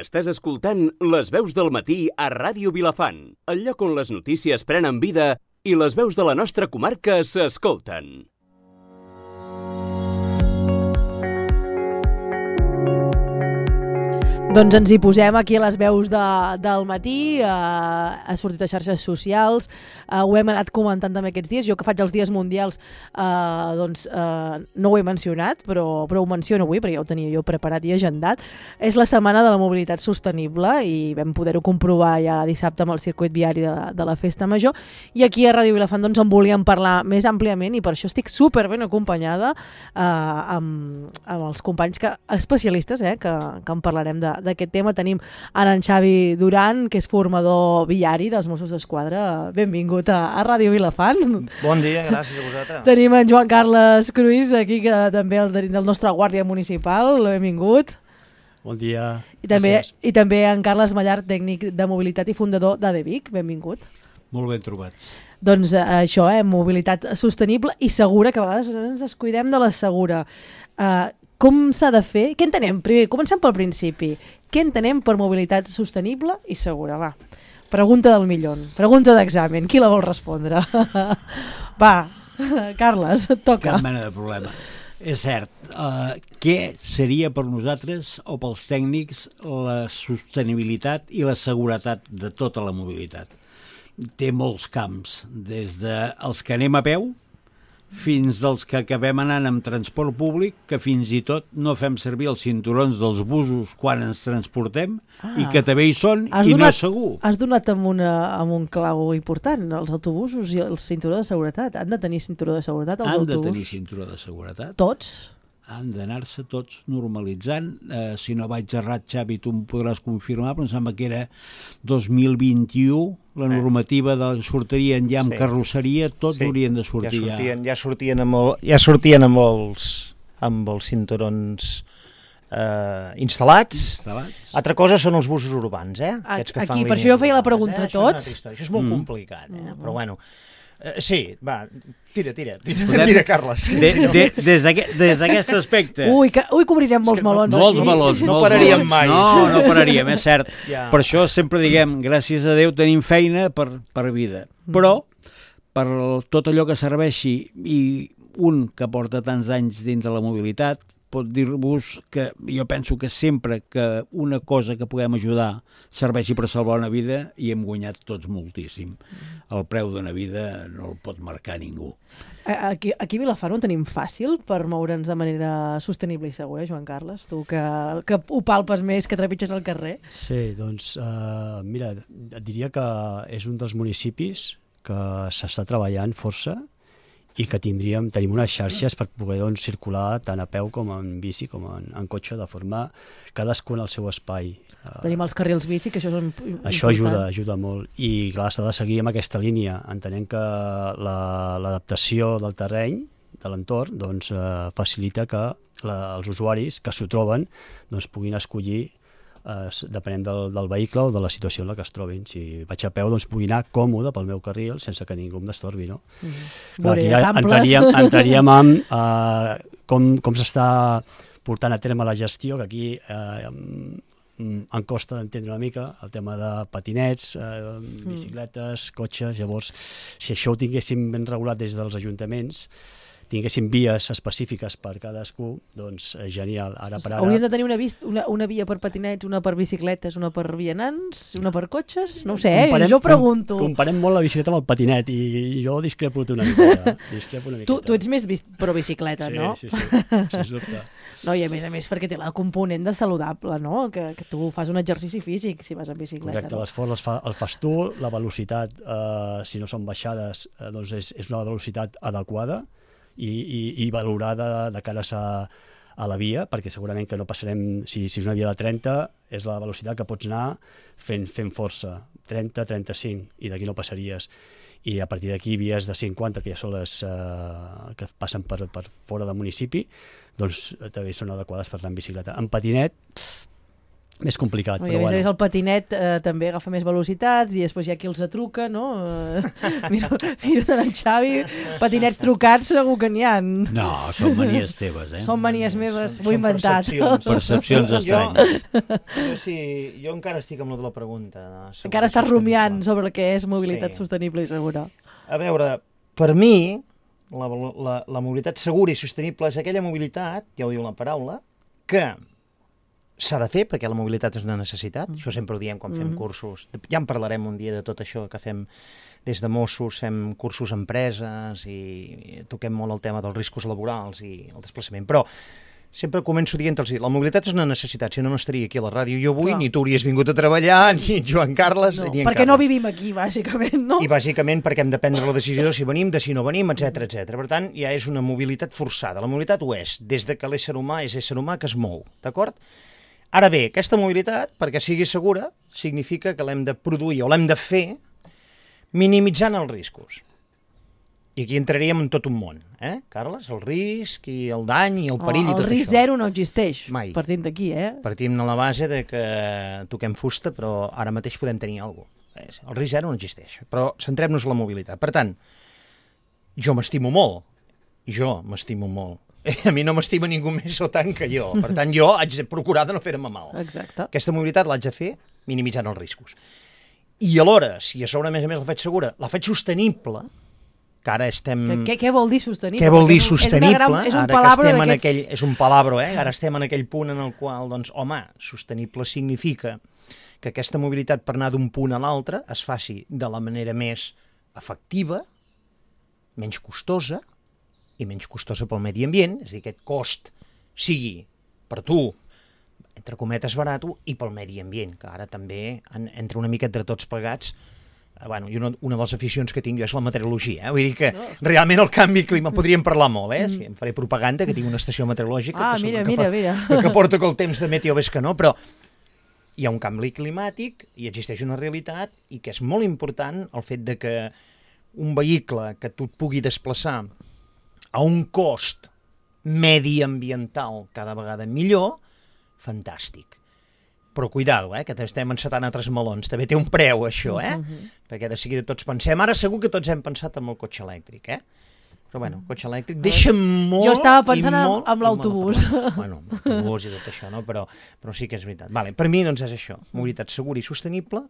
Estàs escoltant Les veus del matí a Ràdio Vilafant, el lloc on les notícies prenen vida i les veus de la nostra comarca s'escolten. Doncs ens hi posem aquí a les veus del matí, ha sortit a xarxes socials, ho hem anat comentant també aquests dies. Jo que faig els dies mundials no ho he mencionat, però ho menciono avui perquè ja ho tenia jo preparat i agendat. És la setmana de la mobilitat sostenible i vam poder-ho comprovar ja dissabte amb el circuit viari de la Festa Major, i aquí a Ràdio Vilafant en volíem parlar més àmpliament i per això estic super ben acompanyada amb els companys especialistes que en parlarem d'aquest tema. Tenim ara en Xavi Duran, que és formador viari dels Mossos d'Esquadra. Benvingut a Ràdio Vilafant. Bon dia, gràcies a vosaltres. Tenim en Joan Carles Cruïs, aquí, que també del nostre guàrdia municipal. Benvingut. Bon dia. I també en Carles Mallart, tècnic de mobilitat i fundador d'ADVIC. Benvingut. Molt ben trobats. Doncs això, mobilitat sostenible i segura, que a vegades ens descuidem de la segura. Com s'ha de fer? Què entenem? Primer, comencem pel principi. Què entenem per mobilitat sostenible i segura? Va, pregunta del milió, pregunta d'examen. Qui la vol respondre? Va, Carles, et toca. Cap mena de problema. És cert, què seria per nosaltres o pels tècnics la sostenibilitat i la seguretat de tota la mobilitat? Té molts camps, des dels que anem a peu fins dels que acabem anant amb transport públic, que fins i tot no fem servir els cinturons dels busos quan ens transportem i que també hi són i no és segur. Has donat amb un clau important. Els autobusos i el cinturó de seguretat. Han de tenir cinturó de seguretat els autobusos? Han de tenir cinturó de seguretat. Tots? Han d'anar-se tots normalitzant. Si no vaig errat, Xavi, tu em podràs confirmar, però em sembla que era 2021, la normativa sortirien ja amb carrosseria, tots haurien de sortir ja. Ja sortien amb els cinturons instal·lats. Altra cosa són els busos urbans, Aquí, per això jo feia la pregunta a tots. Això és molt complicat, però bueno. Sí, va, tira, Carles. Des d'aquest aspecte... Ui, cobrirem molts melons. Molts melons. No pararíem mai. No pararíem, és cert. Per això sempre diguem, gràcies a Déu tenim feina per vida. Però, per tot allò que serveixi, i un que porta tants anys dins de la mobilitat, pot dir-vos que jo penso que sempre que una cosa que puguem ajudar serveixi per salvar una vida, i hem guanyat tots moltíssim. El preu d'una vida no el pot marcar ningú. Aquí a Vilafant ho tenim fàcil per moure'ns de manera sostenible i segura, Joan Carles? Tu que ho palpes més, que trepitges al carrer. Sí, doncs mira, et diria que és un dels municipis que s'està treballant força i que tenim unes xarxes per poder circular tant a peu com en bici com en cotxe, de forma cadascun al seu espai. Tenim els carrils bici, que això és important. Això ajuda molt, i clar, s'ha de seguir amb aquesta línia, entenent que l'adaptació del terreny, de l'entorn, facilita que els usuaris que s'ho troben puguin escollir depenent del vehicle o de la situació en la que es trobin. Si vaig a peu, pugui anar còmode pel meu carril sense que ningú em destorbi, no? Aquí entraríem amb com s'està portant a terme la gestió, que aquí em costa d'entendre una mica el tema de patinets, bicicletes, cotxes. Llavors, si això ho tinguéssim ben regulat des dels ajuntaments, tinguéssim vies específiques per cadascú, doncs genial. Hauríem de tenir una via per patinets, una per bicicletes, una per vianants, una per cotxes? No ho sé, jo pregunto. Comparem molt la bicicleta amb el patinet i jo discrepo una miqueta. Tu ets més pro bicicleta, no? Sí, sens dubte. No, i a més perquè té la component de saludable, no? Que tu fas un exercici físic si vas en bicicleta. Correcte, l'esforç el fas tu, la velocitat, si no són baixades, doncs és una velocitat adequada i valorada de cares a la via, perquè segurament que no passarem, si és una via de 30, és la velocitat que pots anar fent força, 30, 35, i d'aquí no passaries. I a partir d'aquí vies de 50, que ja són les que passen per fora del municipi, doncs també són adequades per anar en bicicleta. En patinet més complicat. I a més el patinet també agafa més velocitats i després hi ha qui els atruca, no? Miro d'en Xavi, patinets trucats segur que n'hi ha. No, són manies teves, Són manies meves, m'ho he inventat. Percepcions estranyes. Jo encara estic amb lo de la pregunta. Encara estàs rumiant sobre el que és mobilitat sostenible i segura. A veure, per mi, la mobilitat segura i sostenible és aquella mobilitat, ja ho diu la paraula, que s'ha de fer perquè la mobilitat és una necessitat, això sempre ho diem quan fem cursos, ja en parlarem un dia de tot això que fem des de Mossos, fem cursos a empreses i toquem molt el tema dels riscos laborals i el desplaçament, però sempre començo dient-los, la mobilitat és una necessitat, si no, no estaria aquí a la ràdio jo avui, ni tu hauries vingut a treballar, ni Joan Carles, ni en perquè Carles. no vivim aquí, bàsicament, no? I bàsicament perquè hem de prendre la decisió de si venim, de si no venim, etc etc. Per tant, ja és una mobilitat forçada. La mobilitat ho és, des de que l'ésser humà és ésser humà que es mou, d'acord? Ara bé, aquesta mobilitat, perquè sigui segura, significa que l'hem de produir o l'hem de fer minimitzant els riscos. I aquí entraríem en tot un món, Carles? El risc i el dany i el perill i tot això. El risc zero no existeix, Mai. partint d'aquí, Partim de la base de que toquem fusta, però ara mateix podem tenir alguna cosa. El risc zero no existeix, però centrem-nos en la mobilitat. Per tant, jo m'estimo molt, i jo m'estimo molt. A mi no m'estima ningú més o tant que jo. Per tant, jo haig de procurar de no fer-me mal. Exacte. Aquesta mobilitat l'haig de fer minimitzant els riscos. I alhora, si a sobre, a més la faig segura, la faig sostenible, que ara estem... Què vol dir sostenible? Què vol dir sostenible? És un palabra d'aquests... És un palabra, Ara estem en aquell punt en el qual, doncs, home, sostenible significa que aquesta mobilitat per anar d'un punt a l'altre es faci de la manera més efectiva, menys costosa, i menys costosa pel medi ambient, és a dir, aquest cost sigui per tu, entre cometes, barat, i pel medi ambient, que ara també entra una mica entre tots plegats. Bueno, i una de les aficions que tinc jo és la meteorologia, Vull dir que realment el canvi climàtic, podríem parlar molt, Si em faré propaganda, que tinc una estació meteorològica, mira. que porto que el temps de meteo ves que no, però hi ha un canvi climàtic i existeix una realitat i que és molt important el fet de que un vehicle que tu et pugui desplaçar a un cost mediambiental cada vegada millor, fantàstic. Però cuidado, que estem encetant altres melons. També té un preu, això, Perquè de seguida tots pensem... Ara segur que tots hem pensat en el cotxe elèctric, Però bueno, el cotxe elèctric deixa molt... Jo estava pensant en l'autobús. Bueno, l'autobús i tot això, no? Però sí que és veritat. Vale, per mi, doncs, és això. Mobilitat segura i sostenible,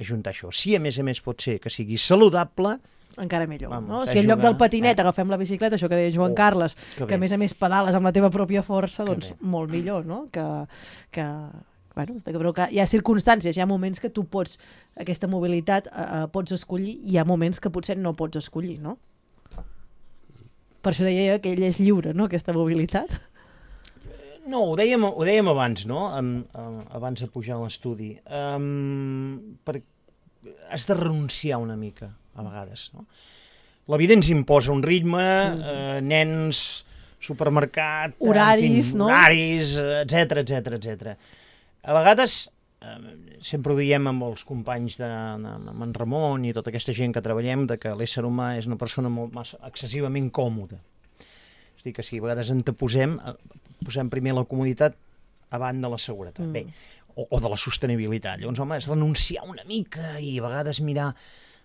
ajuntar això. Si, a més pot ser que sigui saludable, encara millor, no? Si en lloc del patinet agafem la bicicleta, això que deia Joan Carles, que a més pedales amb la teva pròpia força, doncs molt millor, no? Bueno, però que hi ha circumstàncies, hi ha moments que tu pots, aquesta mobilitat pots escollir, i hi ha moments que potser no pots escollir, no? Per això deia que ell és lliure, no?, aquesta mobilitat. No, ho dèiem abans, no? Abans de pujar a l'estudi. Has de renunciar una mica, a vegades, no? La vida ens imposa un ritme, nens, supermercat, horaris, no? Horaris, etc. A vegades, sempre ho diem amb els companys amb en Ramon i tota aquesta gent que treballem, de que l'ésser humà és una persona massa excessivament còmoda. És a dir, que si a vegades posem primer la comoditat abans de la seguretat. Bé, o de la sostenibilitat. Llavors, home, és renunciar una mica i a vegades mirar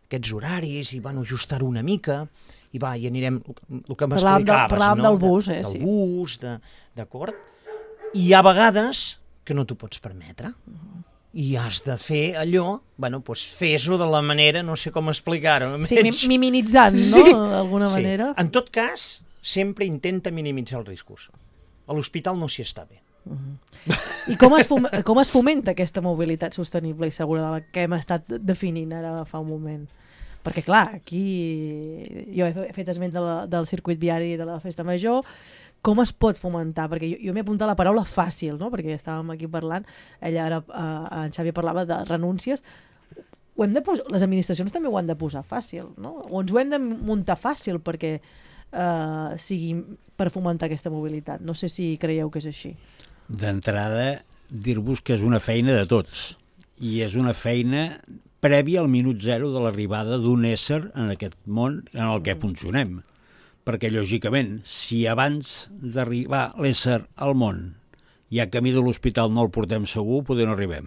aquests horaris i ajustar-ho una mica i anirem, el que m'explicaves, parlàvem del bus, del bus, d'acord? I hi ha vegades que no t'ho pots permetre i has de fer allò, fes-ho de la manera, no sé com explicar-ho. Sí, minimitzant, no?, d'alguna manera. En tot cas, sempre intenta minimitzar els riscos. A l'hospital no s'hi està bé. I com es fomenta aquesta mobilitat sostenible i segura de la que hem estat definint ara fa un moment? Perquè clar, aquí jo he fet esment del circuit viari de la Festa Major. Com es pot fomentar? Perquè jo m'he apuntat la paraula fàcil, no? Perquè estàvem aquí parlant, ella ara, en Xavi parlava de renúncies. Les administracions també ho han de posar fàcil, no? O ens ho hem de muntar fàcil perquè sigui per fomentar aquesta mobilitat. No sé si creieu que és així. D'entrada, dir-vos que és una feina de tots i és una feina prèvia al minut zero de l'arribada d'un ésser en aquest món en el que funcionem. Perquè, lògicament, si abans d'arribar l'ésser al món ja camí de l'hospital no el portem segur, poder no arribem.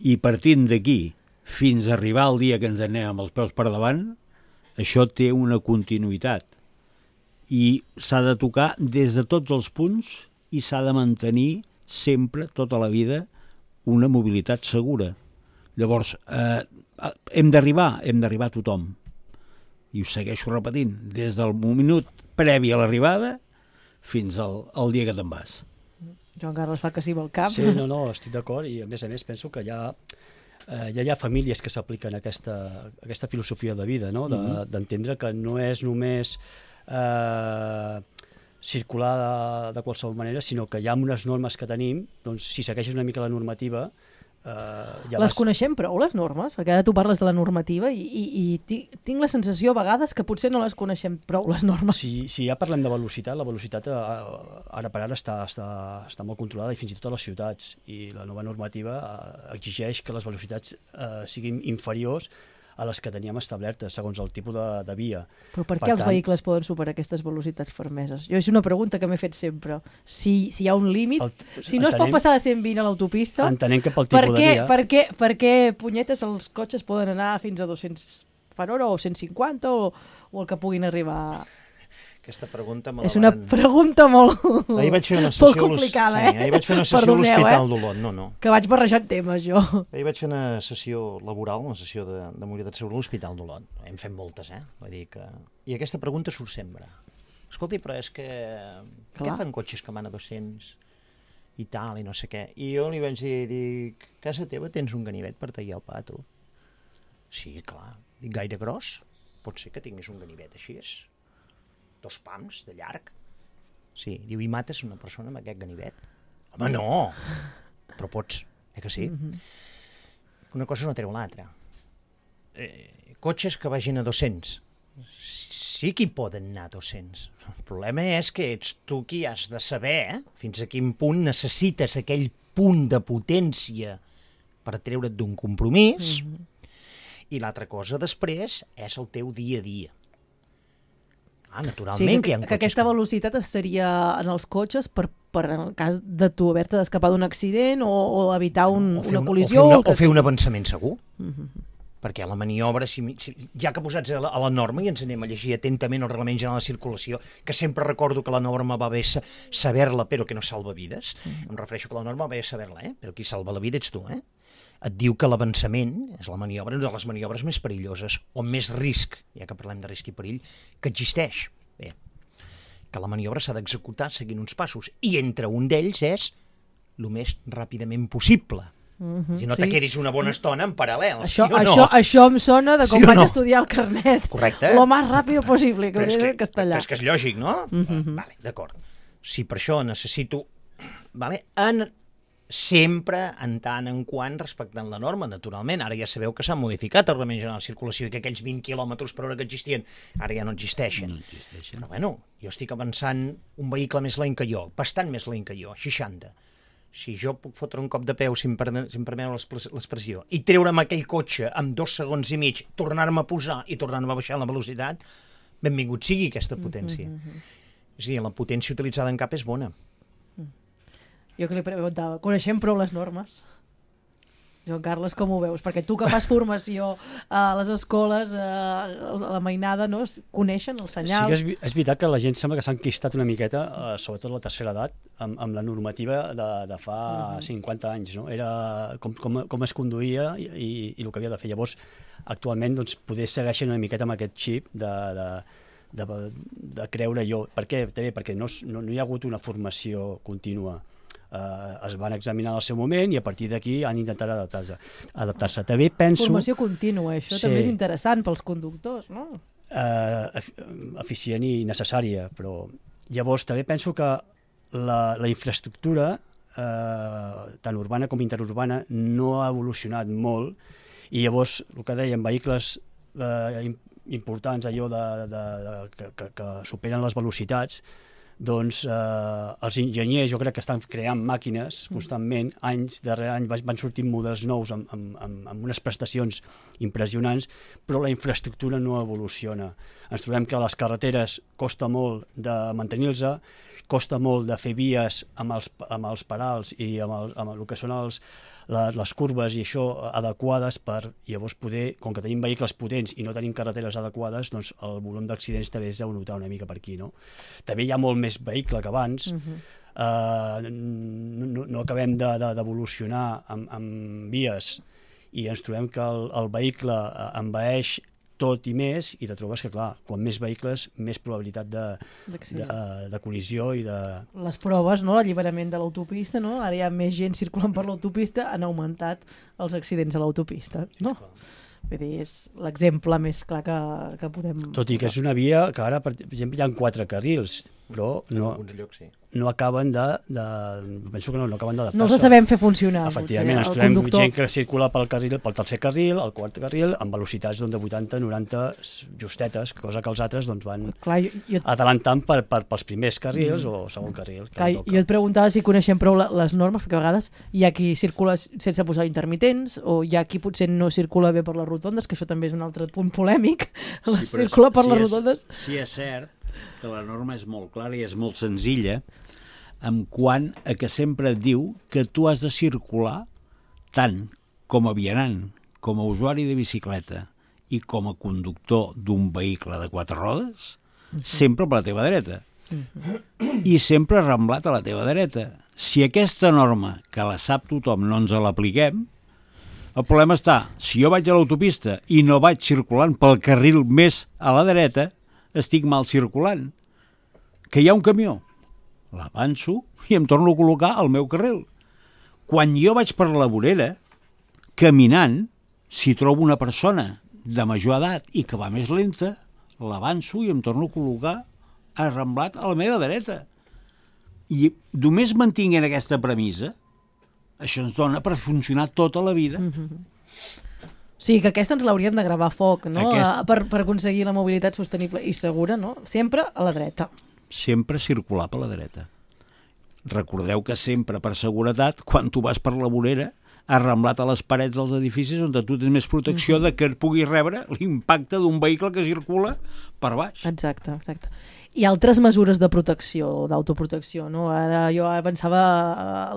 I partint d'aquí fins a arribar al dia que ens anem amb els peus per davant, això té una continuïtat. I s'ha de tocar des de tots els punts i s'ha de mantenir sempre, tota la vida, una mobilitat segura. Llavors, hem d'arribar a tothom. I ho segueixo repetint, des del minut previ a l'arribada fins al dia que te'n vas. Joan Carles fa que sí amb el cap. Sí, no, estic d'acord, i a més penso que ja hi ha famílies que s'apliquen aquesta filosofia de vida, no? D'entendre que no és només circular de qualsevol manera, sinó que hi ha unes normes que tenim, doncs si segueixes una mica la normativa... Les coneixem prou, les normes? Perquè ara tu parles de la normativa i tinc la sensació a vegades que potser no les coneixem prou, les normes. Si ja parlem de velocitat, la velocitat ara per ara està molt controlada, i fins i tot a les ciutats, i la nova normativa exigeix que les velocitats siguin inferiors a les que teníem establertes, segons el tipus de via. Però per què els vehicles poden superar aquestes velocitats fermeses? Jo és una pregunta que m'he fet sempre. Si hi ha un límit, si no es pot passar de 120 a l'autopista, entenem que pel tipus de via... Per què, punyetes, els cotxes poden anar fins a 200 per hora o 150 o el que puguin arribar... Aquesta pregunta és una pregunta molt complicada, Ahir vaig fer una sessió a l'Hospital d'Olot. No. Que vaig barrejant temes, jo. Ahir vaig fer una sessió laboral, una sessió de mobilitat segura a l'Hospital d'Olot. Hem fet moltes, Vull dir que... I aquesta pregunta surt sempre. Escolti, però és que... Què fan cotxes que van a 200 i tal, i no sé què? I jo li vaig dir, a casa teva tens un ganivet per tallar el pa, tu? Sí, clar. Dic, gaire gros? Pot ser que tinguis un ganivet així, 2 pams de llarg. Sí, diu, i mates una persona amb aquest ganivet? Home, no! Però pots, que sí? Una cosa no treu l'altra. Cotxes que vagin a 200. Sí que hi poden anar a 200. El problema és que ets tu qui has de saber fins a quin punt necessites aquell punt de potència per treure't d'un compromís, i l'altra cosa després és el teu dia a dia. Naturalment que hi ha cotxes. Que aquesta velocitat estaria en els cotxes per en el cas de tu haver-te d'escapar d'un accident o evitar una col·lisió. O fer un avançament segur. Perquè la maniobra, ja que posats a la norma, i ens anem a llegir atentament el Reglament General de Circulació, que sempre recordo que la norma va bé saber-la però que no salva vides. Em refereixo que la norma va bé saber-la, però qui salva la vida ets tu, Et diu que l'avançament és la maniobra, una de les maniobres més perilloses, o més risc, ja que parlem de risc i perill, que existeix. Bé, que la maniobra s'ha d'executar seguint uns passos, i entre un d'ells és el més ràpidament possible. Si no te quedis una bona estona en paral·lel, Això em sona de com vaig estudiar el carnet. Correcte. Lo más rápido posible, que ho diré en castellà. Però és que és lògic, no? Vale, d'acord. Si per això necessito... sempre en tant en quant respectant la norma, naturalment. Ara ja sabeu que s'ha modificat el Reglament General de Circulació i que aquells 20 km per hora que existien ara ja no existeixen. Però bueno, jo estic avançant un vehicle més lent que jo, bastant més lent que jo, 60. Si jo puc fotre un cop de peu, si em permeu l'expressió, i treure'm aquell cotxe amb 2 segons i mig, tornar-me a posar i tornar-me a baixar la velocitat, benvingut sigui aquesta potència. És a dir, la potència utilitzada en cap és bona. Jo que li preguntava, coneixem prou les normes? Joan Carles, com ho veus? Perquè tu que fas formació a les escoles, a la mainada, no? Coneixen els senyals? Sí que és veritat que la gent sembla que s'ha enquistat una miqueta, sobretot a la tercera edat, amb la normativa de fa 50 anys, no? Era com es conduïa i el que havia de fer. Llavors, actualment, doncs, poder segueixen una miqueta amb aquest xip de creure jo. Per què? També perquè no hi ha hagut una formació contínua. Es van examinar al seu moment i a partir d'aquí han intentat adaptar-se. També penso... Formació contínua, això també és interessant pels conductors, no? Eficient i necessària, però llavors també penso que la infraestructura, tant urbana com interurbana, no ha evolucionat molt i llavors, el que dèiem, vehicles importants, allò que superen les velocitats, doncs els enginyers jo crec que estan creant màquines constantment, anys darrere any van sortint models nous amb unes prestacions impressionants, però la infraestructura no evoluciona. Ens trobem que a les carreteres costa molt de mantenir-se, costa molt de fer vies amb els parals i amb el que són les curves i això adequades per llavors poder, com que tenim vehicles potents i no tenim carreteres adequades, doncs el volum d'accidents també es deu notar una mica per aquí, no? També hi ha molt més vehicle que abans, no acabem d'evolucionar amb vies i ens trobem que el vehicle envaeix tot i més, i te trobes que, clar, quan més vehicles, més probabilitat de col·lisió i de... Les proves, no? L'alliberament de l'autopista, no? Ara hi ha més gent circulant per l'autopista, han augmentat els accidents a l'autopista, no? Vull dir, és l'exemple més clar que podem... Tot i que és una via que ara, per exemple, hi ha 4 carrils, però no acaben penso que no acaben d'adaptar-se. No els sabem fer funcionar. Efectivament, ens trobem gent que circula pel tercer carril, el quart carril, amb velocitats de 80-90 justetes, cosa que els altres van atalantant pels primers carrils o segon carril. Clar, jo et preguntava si coneixem prou les normes, perquè a vegades hi ha qui circula sense posar intermitents, o hi ha qui potser no circula bé per les rotondes, que això també és un altre punt polèmic, circula per les rotondes. Sí, és cert que la norma és molt clara i és molt senzilla en quant a que sempre et diu que tu has de circular tant com a vianant, com a usuari de bicicleta i com a conductor d'un vehicle de 4 rodes, sempre per la teva dreta. I sempre arramblat a la teva dreta. Si aquesta norma, que la sap tothom, no ens l'apliquem, el problema està, si jo vaig a l'autopista i no vaig circulant pel carril més a la dreta, estic mal circulant. Que hi ha un camió, l'avanço i em torno a col·locar al meu carril. Quan jo vaig per la vorera, caminant, si trobo una persona de major edat i que va més lenta, l'avanço i em torno a col·locar arramblat a la meva dreta. I només mantinguent aquesta premissa, això ens dona per funcionar tota la vida. Sí, que aquesta ens l'hauríem de gravar a foc, no? Per aconseguir la mobilitat sostenible i segura, no? Sempre a la dreta. Sempre circular per la dreta. Recordeu que sempre, per seguretat, quan tu vas per la vorera, arramblat a les parets dels edificis on tu tens més protecció de que puguis rebre l'impacte d'un vehicle que circula per baix. Exacte. I altres mesures de protecció, d'autoprotecció, no? Ara jo pensava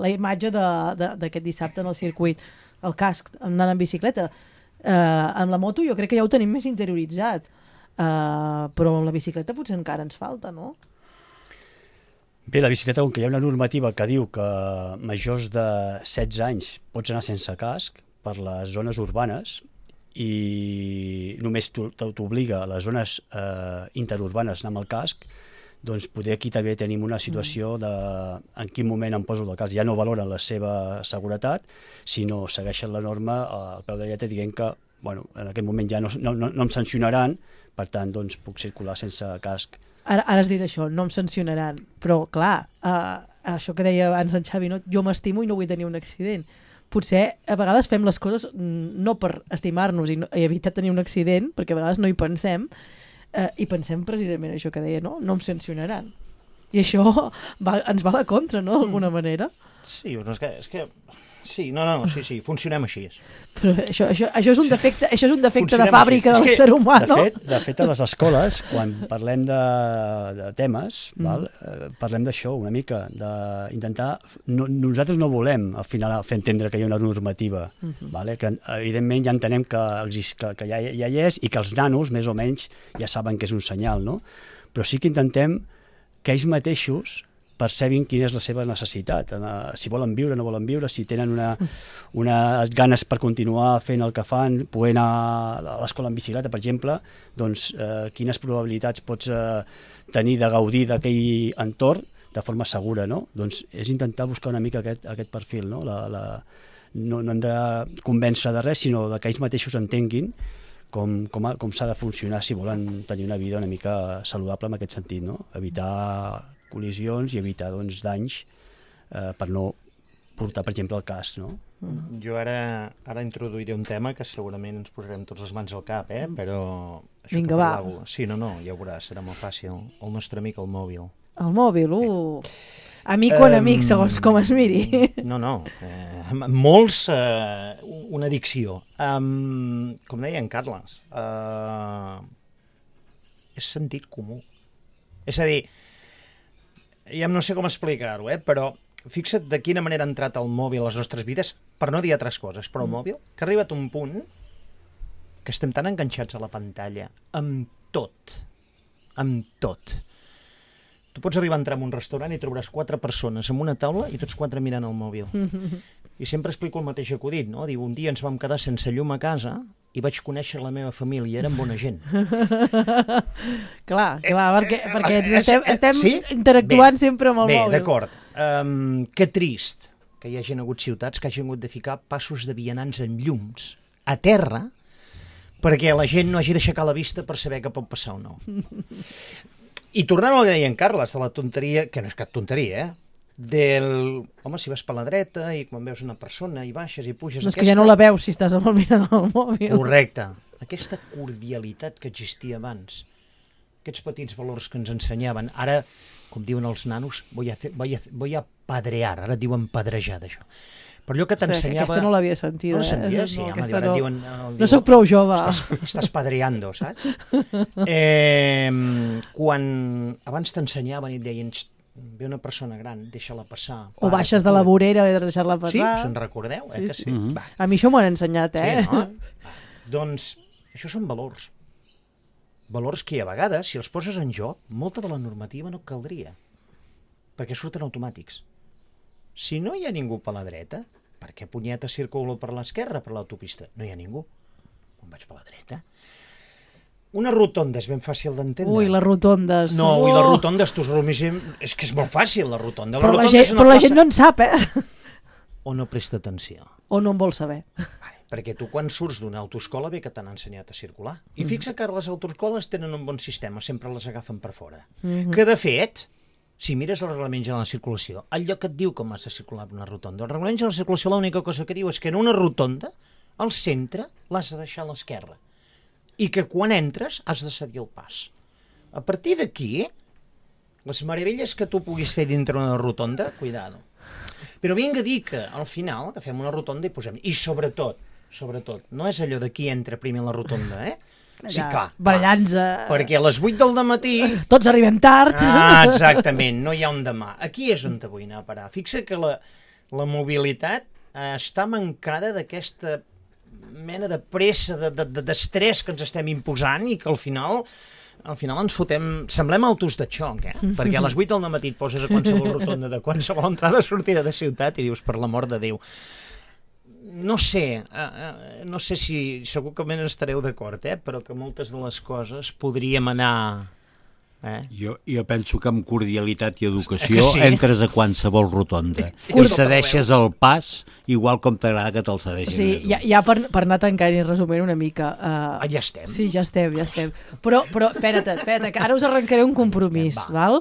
la imatge d'aquest dissabte en el circuit, el casc, anant en bicicleta. Amb la moto jo crec que ja ho tenim més interioritzat, però amb la bicicleta potser encara ens falta, no? Bé, la bicicleta, com que hi ha una normativa que diu que majors de 16 anys pots anar sense casc per les zones urbanes i només t'obliga a les zones interurbanes anar amb el casc, doncs poder aquí també tenim una situació de en quin moment em poso el casc. Ja no valoren la seva seguretat, sinó segueixen la norma al peu de lletra dient que en aquest moment ja no em sancionaran, per tant doncs puc circular sense casc. Ara has dit això, no em sancionaran, però clar, això que deia abans en Xavi, no? Jo m'estimo i no vull tenir un accident. Potser a vegades fem les coses no per estimar-nos i evitar tenir un accident, perquè a vegades no hi pensem, i pensem precisament això que deia, no em sancionaran. I això ens va a la contra, no?, d'alguna manera. Sí, però és que sí, sí, funcionem així. Però això és un defecte, de fàbrica de l'ésser humà, no? De fet, a les escoles, quan parlem de temes, parlem d'això una mica, d'intentar... Nosaltres no volem, al final, fer entendre que hi ha una normativa, que evidentment ja entenem que ja hi és i que els nanos, més o menys, ja saben que és un senyal, no? Però sí que intentem que ells mateixos percebin quina és la seva necessitat, si volen viure, no volen viure, si tenen unes ganes per continuar fent el que fan, poder anar a l'escola en bicicleta, per exemple, doncs quines probabilitats pots tenir de gaudir d'aquell entorn de forma segura, no? Doncs és intentar buscar una mica aquest perfil, no? No hem de convèncer de res, sinó que ells mateixos entenguin com s'ha de funcionar si volen tenir una vida una mica saludable en aquest sentit, no? Evitar col·lisions i evitar danys per no portar, per exemple, el casc, no? Jo ara introduiré un tema que segurament ens posarem tots les mans al cap, però... Vinga, va. Sí, no, ja ho veuràs, serà molt fàcil. El nostre amic, el mòbil. El mòbil, amic o enemic, segons com es miri. No, molts, una addicció. Com deia en Carles, és sentit comú. És a dir, ja no sé com explicar-ho, però fixa't de quina manera ha entrat el mòbil a les nostres vides, per no dir altres coses, però el mòbil, que ha arribat un punt que estem tan enganxats a la pantalla, amb tot. Tu pots arribar a entrar en un restaurant i trobaràs 4 persones en una taula i tots 4 mirant el mòbil. I sempre explico el mateix acudit, no? Diu, un dia ens vam quedar sense llum a casa i vaig conèixer la meva família, eren bona gent. Clar, perquè estem interactuant sempre amb el mòbil. Bé, d'acord. Que trist que hi hagi hagut ciutats que hagin hagut de ficar passos de vianants en llums a terra perquè la gent no hagi d'aixecar la vista per saber què pot passar o no. I tornant al que deia en Carles, de la tonteria, que no és cap tonteria, home, si vas per la dreta i quan veus una persona i baixes i puges... No, és que ja no la veus si estàs mirant el mòbil. Correcte. Aquesta cordialitat que existia abans, aquests petits valors que ens ensenyaven, ara, com diuen els nanos, voy a padrear, ara diuen padrejar d'això. Però allò que t'ensenyava... Aquesta no l'havia sentida. No la sentia? Sí, home, ara diuen... No soc prou jove. Estàs padreando, saps? Quan abans t'ensenyaven i et deien ve una persona gran, deixa-la passar. O baixes de la vorera i deixar-la passar. Sí, us en recordeu? Que sí. A mi això m'ho han ensenyat, Sí, no? Doncs això són valors. Valors que a vegades, si els poses en joc, molta de la normativa no caldria, perquè surten automàtics. Si no hi ha ningú per la dreta, per què punyeta circulo per l'esquerra, per l'autopista? No hi ha ningú. On vaig per la dreta? Una rotonda és ben fàcil d'entendre. Ui, les rotondes. No, ui, les rotondes, és que és molt fàcil, la rotonda. Però la gent no en sap, O no presta atenció. O no en vol saber. Perquè tu quan surts d'una autoescola bé que t'han ensenyat a circular. I fixa que les autoescoles tenen un bon sistema, sempre les agafen per fora. Que de fet, si mires els reglaments de la circulació, el lloc et diu com has de circular per una rotonda. Els reglaments de la circulació l'única cosa que diu és que en una rotonda, al centre, l'has de deixar a l'esquerra. I que quan entres has de cedir el pas. A partir d'aquí, les meravelles que tu puguis fer dintre una rotonda, cuidado. Però vinga a dir que al final agafem una rotonda i posem... I sobretot, no és allò de qui entra primer a la rotonda, Sí, clar. Barallant-se. Perquè a les 8 del dematí... Tots arribem tard. Exactament, no hi ha un demà. Aquí és on te vull anar a parar. Fixa que la mobilitat està mancada d'aquesta mena de pressa, d'estrès que ens estem imposant i que al final ens fotem... Semblem autos de xoc, Perquè a les 8 del dematí et poses a qualsevol rotonda de qualsevol entrada o sortida de ciutat i dius, per l'amor de Déu... No sé si segurament estareu d'acord, però que moltes de les coses podríem anar... Jo penso que amb cordialitat i educació entres a qualsevol rotonda i cedeixes el pas igual com t'agrada que te'l cedeixin. Sí, ja per anar tancant i resumint una mica... Ja estem? Sí, ja estem. Però espera't, que ara us arrencaré un compromís, val?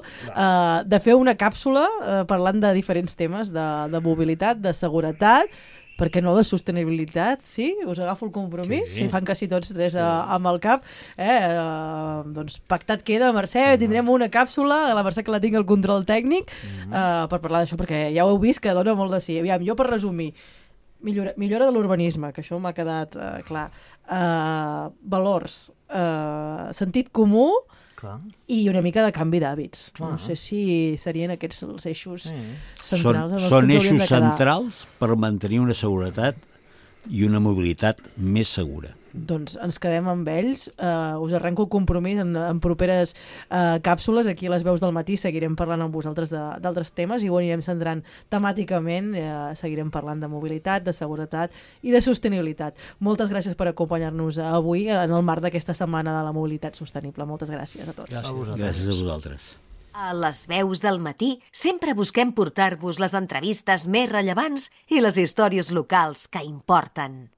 De fer una càpsula parlant de diferents temes, de mobilitat, de seguretat, per què no, de sostenibilitat, sí? Us agafo el compromís, i fan quasi tots tres amb el cap. Doncs pactat queda, Mercè, tindrem una càpsula, la Mercè que la tingui al control tècnic, per parlar d'això, perquè ja ho heu vist que dona molt de sí. Aviam, jo per resumir, millora de l'urbanisme, que això m'ha quedat clar, valors, sentit comú, clar, i una mica de canvi d'hàbits. No sé si serien aquests els eixos centrals. Són eixos centrals per mantenir una seguretat i una mobilitat més segura. Doncs ens quedem amb ells. Us arrenco el compromís en properes càpsules. Aquí a les veus del matí seguirem parlant amb vosaltres d'altres temes i ho anirem centrant temàticament. Seguirem parlant de mobilitat, de seguretat i de sostenibilitat. Moltes gràcies per acompanyar-nos avui en el marc d'aquesta setmana de la mobilitat sostenible. Moltes gràcies a tots. Gràcies a vosaltres. A les veus del matí sempre busquem portar-vos les entrevistes més rellevants i les històries locals que importen.